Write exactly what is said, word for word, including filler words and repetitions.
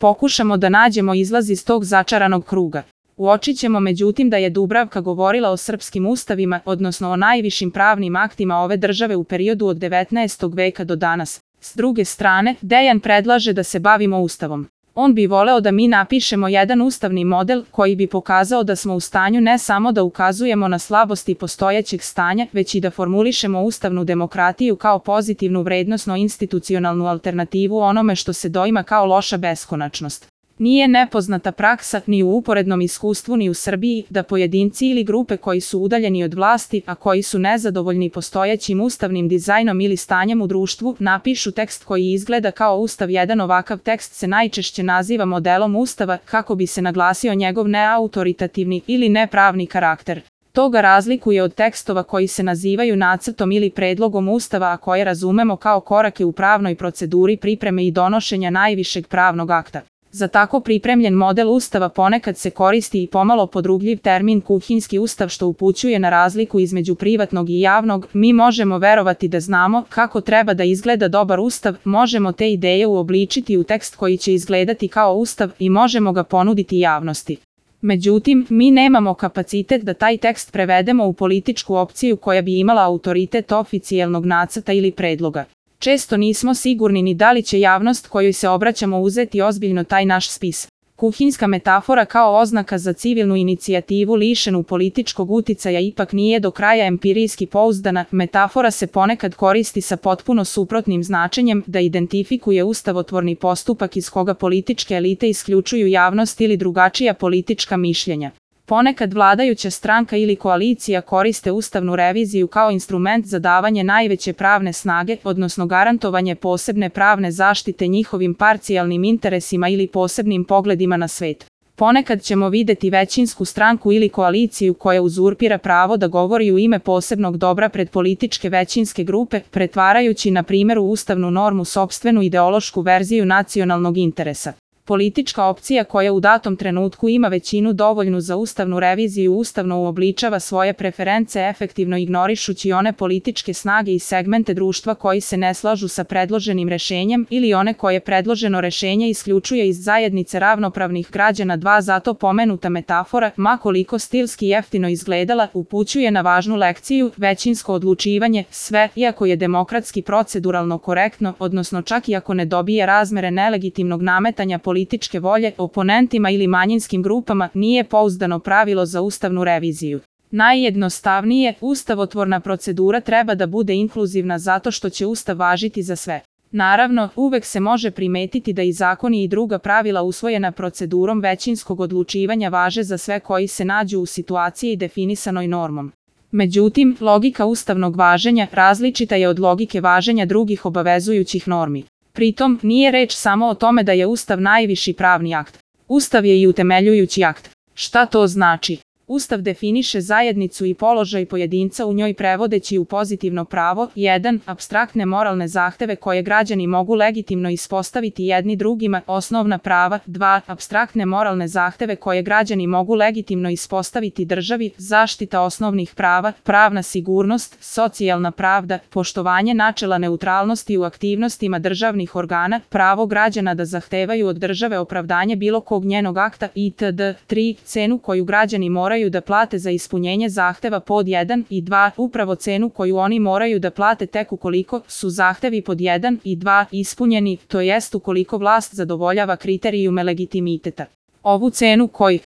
pokušamo da nađemo izlaz iz tog začaranog kruga. Uočit ćemo međutim da je Dubravka govorila o srpskim ustavima, odnosno o najvišim pravnim aktima ove države u periodu od devetnaestog veka do danas. S druge strane, Dejan predlaže da se bavimo ustavom. On bi voleo da mi napišemo jedan ustavni model koji bi pokazao da smo u stanju ne samo da ukazujemo na slabosti postojećeg stanja, već i da formulišemo ustavnu demokratiju kao pozitivnu vrednosno-institucionalnu alternativu onome što se doima kao loša beskonačnost. Nije nepoznata praksa ni u uporednom iskustvu ni u Srbiji da pojedinci ili grupe koji su udaljeni od vlasti, a koji su nezadovoljni postojećim ustavnim dizajnom ili stanjem u društvu, napišu tekst koji izgleda kao ustav. Jedan ovakav tekst se najčešće naziva modelom ustava kako bi se naglasio njegov neautoritativni ili nepravni karakter. To ga razlikuje od tekstova koji se nazivaju nacrtom ili predlogom ustava, a koje razumemo kao korake u pravnoj proceduri pripreme i donošenja najvišeg pravnog akta. Za tako pripremljen model ustava ponekad se koristi i pomalo podrugljiv termin kuhinjski ustav, što upućuje na razliku između privatnog i javnog. Mi možemo verovati da znamo kako treba da izgleda dobar ustav, možemo te ideje uobličiti u tekst koji će izgledati kao ustav i možemo ga ponuditi javnosti. Međutim, mi nemamo kapacitet da taj tekst prevedemo u političku opciju koja bi imala autoritet oficijelnog nacrta ili predloga. Često nismo sigurni ni da li će javnost kojoj se obraćamo uzeti ozbiljno taj naš spis. Kuhinjska metafora kao oznaka za civilnu inicijativu lišenu političkog uticaja ipak nije do kraja empirijski pouzdana. Metafora se ponekad koristi sa potpuno suprotnim značenjem, da identifikuje ustavotvorni postupak iz koga političke elite isključuju javnost ili drugačija politička mišljenja. Ponekad vladajuća stranka ili koalicija koriste ustavnu reviziju kao instrument za davanje najveće pravne snage, odnosno garantovanje posebne pravne zaštite njihovim parcijalnim interesima ili posebnim pogledima na svet. Ponekad ćemo videti većinsku stranku ili koaliciju koja uzurpira pravo da govori u ime posebnog dobra pred političke većinske grupe, pretvarajući na primjer u ustavnu normu sopstvenu ideološku verziju nacionalnog interesa. Politička opcija koja u datom trenutku ima većinu dovoljnu za ustavnu reviziju ustavno uobličava svoje preference, efektivno ignorišući one političke snage i segmente društva koji se ne slažu sa predloženim rešenjem ili one koje predloženo rešenje isključuje iz zajednice ravnopravnih građana. Dva Zato pomenuta metafora, ma koliko stilski jeftino izgledala, upućuje na važnu lekciju: većinsko odlučivanje, sve, iako je demokratski proceduralno korektno, odnosno čak i ako ne dobije razmere nelegitimnog nametanja političke volje, oponentima ili manjinskim grupama, nije pouzdano pravilo za ustavnu reviziju. Najjednostavnije, ustavotvorna procedura treba da bude inkluzivna zato što će ustav važiti za sve. Naravno, uvek se može primetiti da i zakoni i druga pravila usvojena procedurom većinskog odlučivanja važe za sve koji se nađu u situaciji definisanoj normom. Međutim, logika ustavnog važenja različita je od logike važenja drugih obavezujućih normi. Pritom, nije reč samo o tome da je Ustav najviši pravni akt. Ustav je i utemeljujući akt. Šta to znači? Ustav definiše zajednicu i položaj pojedinca u njoj prevodeći u pozitivno pravo: jedan Apstraktne moralne zahteve koje građani mogu legitimno ispostaviti jedni drugima, osnovna prava; dva Apstraktne moralne zahteve koje građani mogu legitimno ispostaviti državi, zaštita osnovnih prava, pravna sigurnost, socijalna pravda, poštovanje načela neutralnosti u aktivnostima državnih organa, pravo građana da zahtevaju od države opravdanje bilo kog njenog akta itd. tri Cenu koju građani moraju da plate za ispunjenje zahteva pod jedan i dva Upravo cenu koju oni moraju da plate tek ukoliko su zahtevi pod jedan i dva ispunjeni, to jest ukoliko vlast zadovoljava kriterijume legitimiteta. Ovu cenu koji